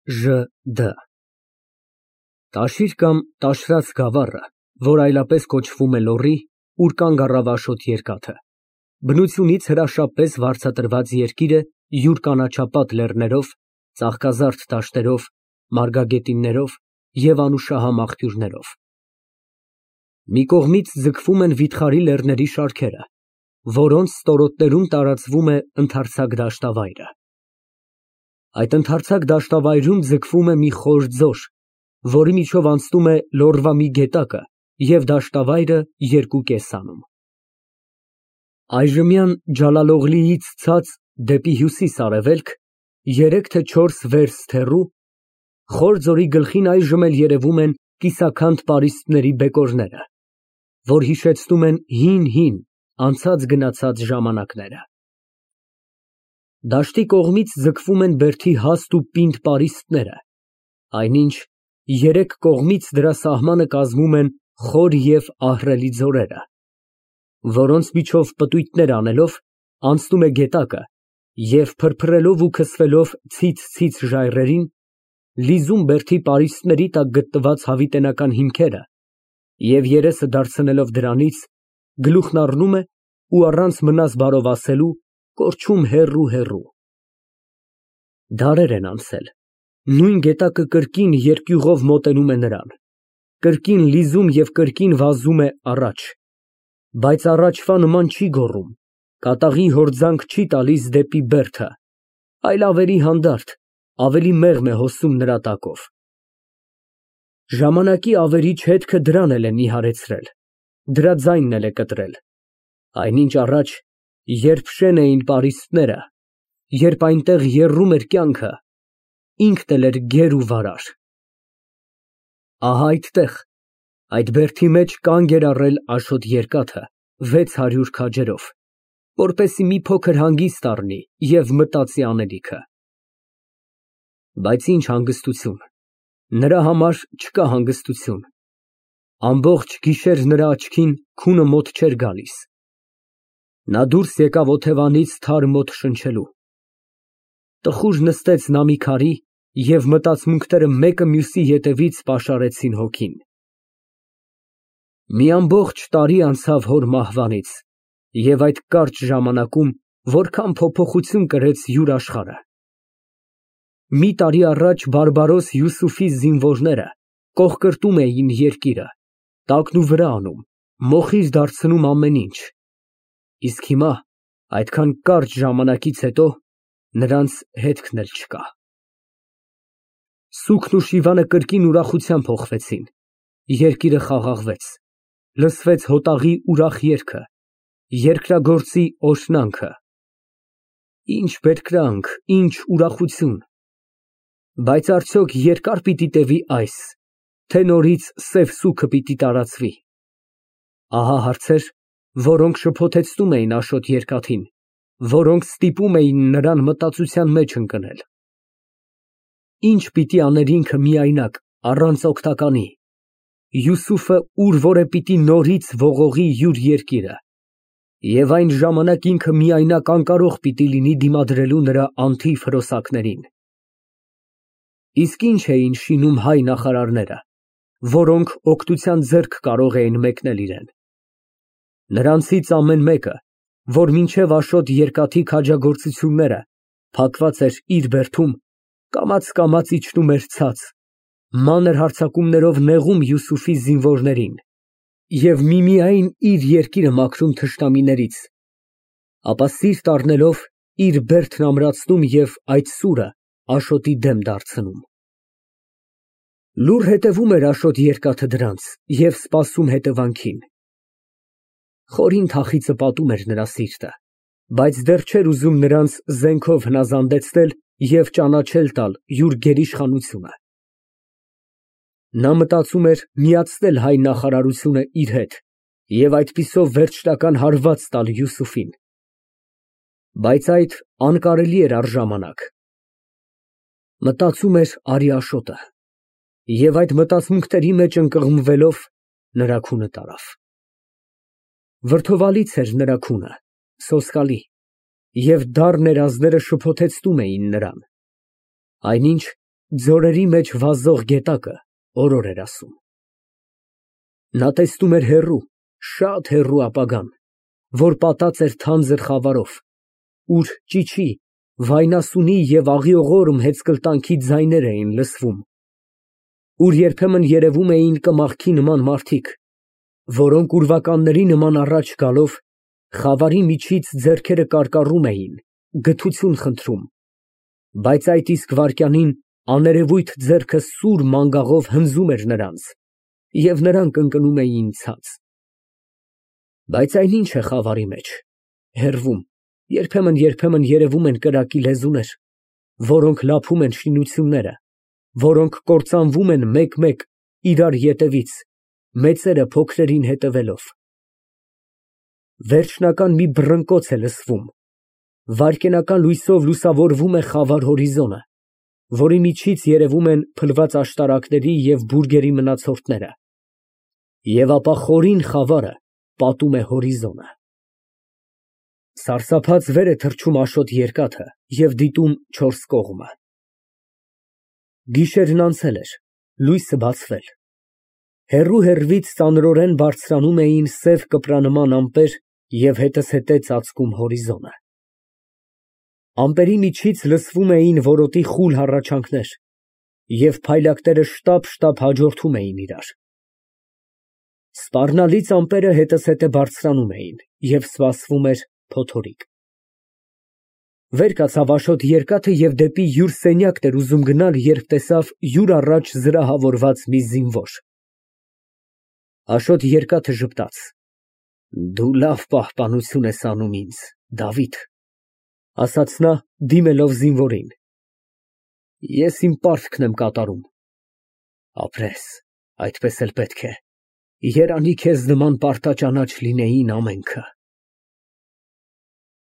ԺԴ Տաշիր կամ տաշրած գավառը, որ այլապես կոչվում է Լոռի, ուր կանգ առավ Աշոտ երկաթը, բնությունից հրաշապես վարձատրված երկիր է յուր կանաչապատ լեռներով, ծաղկազարդ դաշտերով, մարգագետիններով և անուշահամ աղբյուրներով։ Մի կողմից ձգվում են վիթխարի լեռների շարքերը, որոնց ստորոտներում տարածվում է ընդարձակ դաշտավայրը։ Այդ ընդարձակ դաշտավայրում ձգվում է մի խոր ձոր, որի միջով անցնում է Լոռվա մի գետակը և դաշտավայրը երկու կես անում։ Այժմյան Ջալալօղլիից ցած դեպի հյուսիս֊արևելք, 3 թե 4 վերստ հեռու, խոր ձորի գլխին այժմ էլ երևում են կիսաքանդ պարիսպների բեկորները, որ հիշեցնում են հին անցած֊գնացած ժամանակները։ Դաշտի կողմից ձգվում են բերդի հաստ ու պինդ պարիսպները, այնինչ երեք կողմից դրա սահմանը կազմում են խոր և ահռելի ձորերը, որոնց միջով պտույտներ անելով անցնում է գետակը և փրփրելով ու քսվելով ցից ժայռերին, լիզում բերդի պարիսպների տակ գտնված հավիտենական հիմքերը և երեսը դարձնելով դրանից, գլուխն առնում է ու առանց մնաս բարով ասելու, կորչում հեռու։ Դարեր են անցել, նույն գետակը կրկին երկյուղով մոտենում է նրան, կրկին լիզում և կրկին վազում է առաջ, բայց առաջվա նման չի գոռում, կատաղի հորձանք չի տալիս դեպի բերդը, այլ ավելի հանդարտ, ավելի մեղմ է հոսում նրա տակով։ Ժամանակի ավերիչ հետքը դրան էլ է նիհարեցրել, դրա ձայնն էլ է կտրել, այնինչ առաջ, երբ շեն էին պարիսպները, երբ այնտեղ եռում էր կյանքը, ինքն էլ էր գեր ու վարար։ Ահա այդտեղ, այդ բերդի մեջ կանգ էր առել Աշոտ երկաթը 600 քաջերով, որպեսզի մի փոքր հանգիստ առնի և մտածի անելիքը։ Բայց ինչ հանգստություն, նրա համար չկա հանգստություն, ամբողջ գիշեր նրա աչքին քունը մոտ չէր գալիս։ Նա դուրս եկավ օթևանից թարմ օդ շնչելու։ Տխուր նստեց նա մի քարի և մտածմունքները մեկը մյուսի ետևից պաշարեցին հոգին։ Մի ամբողջ տարի անցավ հոր մահվանից, և այդ կարճ ժամանակում որքան փոփոխություն կրեց յուր աշխարհը։ Մի տարի առաջ բարբարոս Յուսուֆի զինվորները կողկրտում էին երկիրը, տակն ու վրա անում, մոխիր դարձնում ամեն ինչ, իսկ հիմա, այդքան կարճ ժամանակից հետո, նրանց հետքն էլ չկա։ Սուքն ու Շիվանը կրկին ուրախության փոխվեցին, երկիրը խաղաղվեց, լսվեց հոտաղի ուրախ երգը, երկրագործի օրհնանքը։ Ինչ բերկրանք, ինչ ուրախություն։ Բայց արդյոք երկա՞ր պիտի տևի այս, թե նորից սև սուգը պիտի տարածվի։ Ահա հարցեր, որոնք շփոթեցնում էին Աշոտ երկաթին, որոնք ստիպում էին նրան մտածության մեջ ընկնել։ Ինչ պիտի աներ ինքը միայնակ, առանց օգնականի, Յուսուֆը ուր որ է պիտի նորից ողողի յուր երկիրը, և այն ժամանակ ինքը միայնակ անկարող պիտի լինի դիմադրելու նրա անթիվ հրոսակներին։ Իսկ ինչ էին շինում հայ նախարարները, որոնք օգնության ձեռք կարող էին մեկնել իրան։ Նրանցից ամեն մեկը, որ մինչև Աշոտ երկաթի քաջագործությունները փակված էր իր բերդում, կամաց իջնում էր ցած, մանր հարձակումներով նեղում Յուսուֆի զինվորներին և միմիայն իր երկիրը մաքրում թշնամիներից, ապա սիրտ առնելով իր բերդն ամրացնում և այդ սուրը Աշոտի դեմ դարձնում։ Լուռ հետևում էր Աշոտ երկաթը դրանց և սպասում հետևանքին։ Խորին թախիծը պատում էր նրա սիրտը, բայց դեռ չէր ուզում նրանց զենքով հնազանդեցնել և ճանաչել տալ յուր գերիշխանությունը։ Նա մտածում էր միացնել հայ նախարարությունը իր հետ և այդպիսով վերջնական հարված տալ Յուսուֆին։ Բայց այդ անկարելի էր առժամանակ։ Մտածում էր արի Աշոտը, և այդ մտածմունքների մեջ ընկղմվելով նրա քունը տարավ։ Վրդովալից էր նրա քունը, սոսկալի, և դառն երազները շփոթեցնում էին նրան։ Այնինչ Ձորերի մեջ վազող գետակը օրոր էր ասում։ Նա տեսնում էր հեռու, շատ հեռու ապագան, որ պատած էր թանձր խավարով, ուր ճիչի, վայնասունի և աղիողորմ հեծկլտանքի ձայներ էին լսվում, ուր երբեմն երևում էին կմախքի նման մարդիկ, որոնք ուրվականների նման առաջ գալով, խավարի միջից ձեռքերը կարկառում էին, գթություն խնդրում, բայց այդ իսկ վայրկյանին աներևույթ ձեռքը սուր մանգաղով հնձում էր նրանց, և նրանք ընկնում էին ցած։ Բայց այն ինչ է խավարի մեջ, հեռվում, երբեմն երևում են կրակի լեզուներ, որոնք լափում են շինությունները, որոնք կործանվում են մեկ֊մեկ իրար ետևից, մեծերը փոքրերին հետևելով։ Վերջնական մի բռնկոց է լսվում, վայրկենական լույսով լուսավորվում է խավար հորիզոնը, որի միջից երևում են փլված աշտարակների և բուրգերի մնացորդները, և ապա խորին խավարը պատում է հորիզոնը։ Սարսափած վեր է թռչում Աշոտ երկաթը և դիտում չորս կողմը։ Գիշերն անցել էր, լույսը բացվել։ Հեռու֊հեռվից ծանրորեն բարձրանում էին սև կպրանման ամպեր և հետզհետե ծածկում հորիզոնը։ Ամպերի միջից լսվում էին որոտի խուլ հառաչանքներ, և փայլակները շտապ հաջորդում էին իրար։ Սպառնալից ամպերը հետզհետե բարձրանում էին, և սպասվում էր փոթորիկ։ Վեր կացավ Աշոտ երկաթը և դեպի յուր սենյակն էր ուզում գնալ, երբ տեսավ յուր առաջ զրահավորված մի զինվոր։ Աշոտ երկաթը ժպտաց. «Դու լավ պահպանություն ես անում ինձ, Դավիթ», ասաց նա, դիմելով զինվորին։ Ես իմ պարտքն եմ կատարում։ Ապրես, այդպես էլ պետք է, երանի քեզ նման պարտաճանաչ լինեին ամենքը։